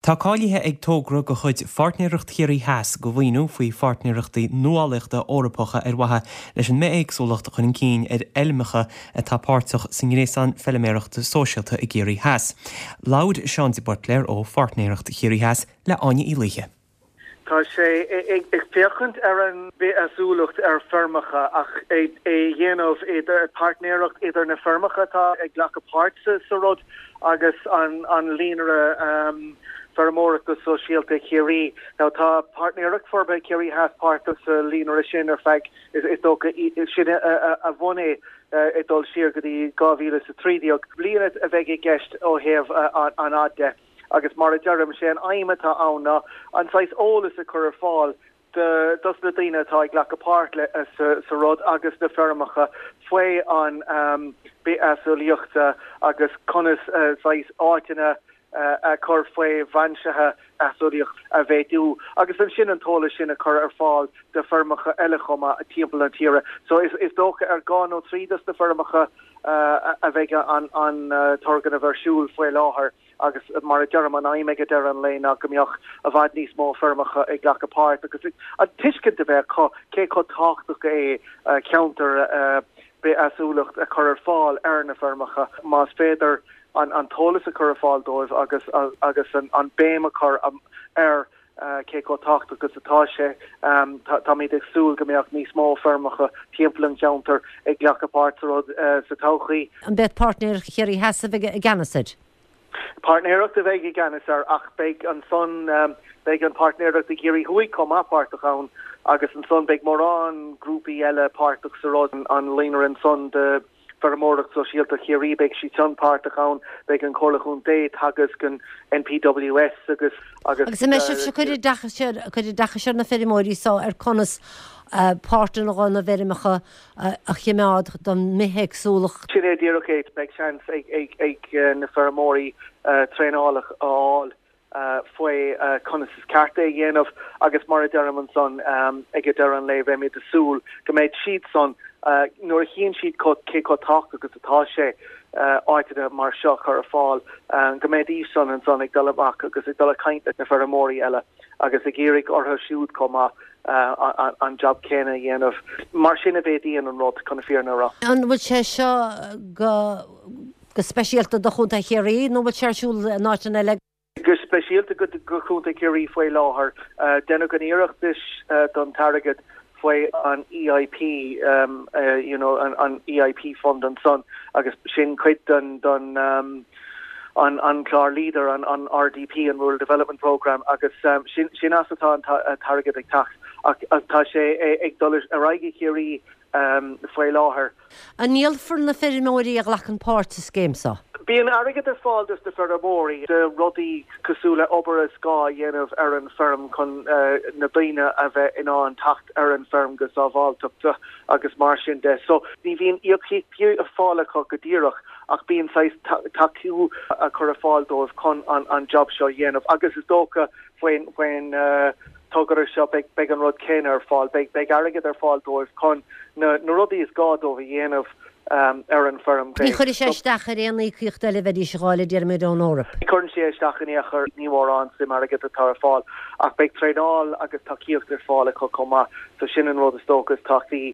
Tá cáilithe ag togra de chuid Pháirtnéireacht Chiarraí Theas do mhaoiniú faoi Pháirtnéireachtaí Nuálaíochta Eorpacha ar mhaithe leis an mbithéagsúlacht a chur chun cinn ar fheilmeacha atá páirteach sa nGréasán Feilméarachta Sóisialta i gCiarraí Theas. Labhair Seán de Buitléar ó Pháirtnéireacht Chiarraí Theas le Áine Uí Laoithe. Tá sé ag féachaint ar an bhithéagsúlacht ar feirmeacha ach é a dhéanamh idir páirtnéireacht idir na feirmeacha atá ag glacadh páirt sa rud agus an líonra feirmeoireachta sóisialta Chiarraí. Now tá Páirtnéireacht Forbartha Chiarraí Theas páirteach sa líonra sin ar feadh is dócha sin a bhunaigh é ag dul siar go dtí 2013. Bliain a bheidh i gceist ó thaobh an fhad de. Agus mar a deirim, sé an aidhm atá ann ná an saghas eolas a chur ar fáil do dos na daoine atá ag glacadh páirt sa rud agus na feirmeacha faoi an bithéagsúlaíochta agus conas saghas áiteanna a chur faoi bhainsithe éagsúlaíocht a mhéadú agus ansin an t-eolas sin a chur ar fáil do feirmeacha eile chomh maith timpeall na tíre. So is dócha ar dhá nó trí dos na feirmeacha a bheidh an turgnamh ar siúl faoi láthair agus mar a deirim, an aidhm ag deireadh an lae ná go mbeadh i bhfad níos mó feirmeacha ag glacadh páirt agus an tuiscint a bheith acu cé chomh tábhachtach é ceantar bithéagsúlacht a chur ar fáil ar na feirmeacha, más féidir an t-eolas a chur ar fáil dóibh agus agus an béim a chur ar cé chomh tábhachtach is atá sé. Táimid ag súil go mbeadh níos mó feirmeacha timpeall an cheantair ag glacadh páirt sa rud sa todhchaí. An mbeidh Páirtnéireacht Chiarraí Theas a bheidh i gceannas air? Páirtnéireacht a bheidh i gceannas air ach beidh ansan, beidh an Páirtnéireacht i gCiarraí Thuaidh chomh maith páirteach ann agus ansan beidh mórán grúpaí eile páirteach sa rud, an líonra ansan de Feirmeoireacht Sóisialta Chiarraí, beidh siad san páirteach ann, beidh an Chomhairle Chontae, Teagasc, an NPWS agus agus. Agus an mbeidh sibhse ag cur oideachais ar, cur oideachais ar na feirmeoirí so ar conas páirteanna dho na bhfeirmeacha a chimeád don mbithéagsúlacht? Sin é díreach é, beidh seans ag na feirmeoirí traenáil a fháil faoi conas is ceart é a dhéanamh agus mar a deirim ansan ag deireadh an lae beimid ag súil go mbeidh siad san nuair a chíonn siad cé chomh tábhachtach is atá sé áiteanna mar seo a chur ar fáil go mbeidís san ansan ag dul amach agus ag dul ag caint leis na feirmeoirí eile agus ag iarraidh orthu siúd chomh maith an jab céanna a dhéanamh. Mar sin a mhéadaíonn an rud, chun na fírinne a rá. An bhfuil sé seo go Go speisialta do Chontae Chiarraí nó bhfuil sé ar siúl in áiteanna eile? Go speisialta do Chontae Chiarraí faoi láthair. Deineadh an iarratas don t-airgead faoi an EIP, you know, an EIP fund ansan agus sin cuid den den an clár Leader, an RDP, an Rural Development Programme agus sin sin as atá an t-airgead ag teacht ach tá sé ag dul ar aghaidh i Chiarraí faoi láthair. An ndíolfar na feirmeoirí a ghlacann páirt sa scéim seo? Bíonn airgead ar fáil dos na feirmeoirí do rudaí cosúil le obair is gá a dhéanamh ar an feirm chun na daoine a bheith in ann teacht ar an feirm go sábháilteachta agus mar sin de. So ní bhíonn íocaíochtaí ar fáil acu go díreach ach bíonn saghas tacú á chur ar fáil dóibh chun an job seo a dhéanamh agus is dócha faoin togra seo, beidh an rud céanna ar fáil, beidh airgead ar fáil dóibh chun na rudaí is gá dóibh a dhéanamh ar an bhfeirm. Ní chuirfidh sé isteach ar aon íocaíocht eile a bheidís a dh'fháil, a déarfaimid, ón Eoraip. Ní chuireann sé isteach in aon chor, ní mórán suim airgid atá ar fáil ach beidh traenáil agus tacaíocht ar fáil acu chomh maith, so sin an rud is dócha is tábhachtaí.